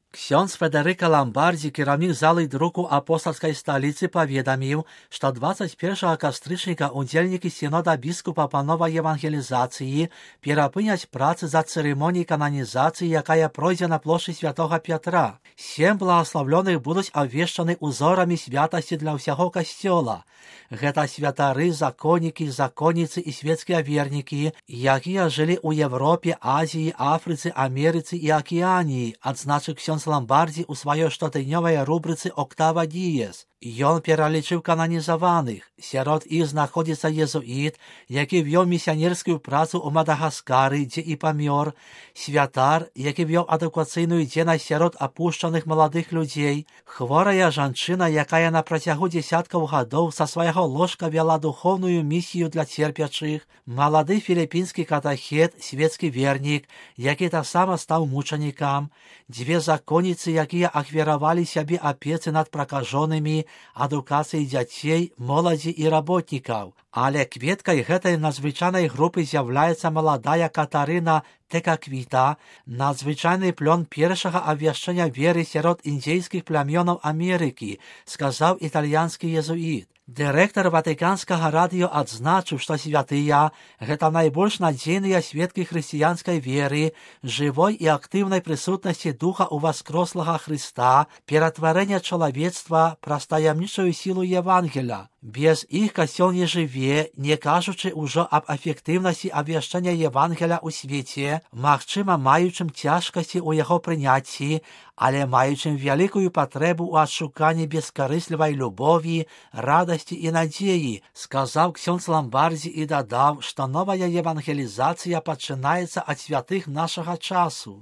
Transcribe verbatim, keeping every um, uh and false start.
Ксёндз Федерыка Ламбардзі, кіраўнік залы друку апостальскай сталіцы, паведаміў, што дваццаць першага кастрычніка удзельнікі сінода біскупа па новай евангелізацыі перапыняць працы за цырымоніяй кананізацыі, якая пройдзе на плошчы святога Пятра. Сем благаслаўлёных будуць абвешчаны узорамі святасці для ўсяго касцёла. Гэта святары, законнікі, законніцы і свецкія вернікі, якія жылі ў Европе, Азіі, Афрыцы, Амерыцы і Акіяніі, адзначыў ксёндз Ламбардзі ў сваёй штотыднёвай рубрыцы «Октава Діес». Ён пералічыў кананізаваных. Сярод іх знаходзіцца езуіт, які вёў місіянерскую працу ў Мадагаскары, дзе і памёр, святар, які вёў адукацыйную дзейнасць сярод апушчаных маладых людзей, хворая жанчына, якая на працягу дзесяткаў гадоў са свайго ложка вяла духоўную місію для церпячых, малады філіпінскі катахет, свецкі вернік, які таксама стаў мучанікам, дзве законніцы, якія ахвяравалі сябе апецы над пракажонымі, адукацыі дзяцей, моладзі і работнікаў. Але кветкай гэтай надзвычайнай групы з'яўляецца маладая Катарына Текаквіта, надзвычайны плён першага абвяшчэння веры сярод індзейскіх плямёнаў Амерыкі, сказаў італьянскі езуіт. Дырэктар ватыканскага радыё адзначыў, што святыя – гэта найбольш надзейныя сведкі хрысціянскай веры, жывой і актыўнай прысутнасці духа ў васкрослага Хрыста, ператварэння чалавецтва праз таямнічую сілу Евангеля. Без іх касцёл не жыве, не кажучы ўжо аб эфектыўнасці абвяшчэння Евангеля ў свеце, магчыма, маючым цяжкасці ў яго прыняцці, але маючым вялікую патрэбу ў адшуканні бескарыслівай любові, радасці і надзеі, сказаў ксёндз Ламбардзі і дадаў, што новая евангелізацыя пачынаецца ад святых нашага часу.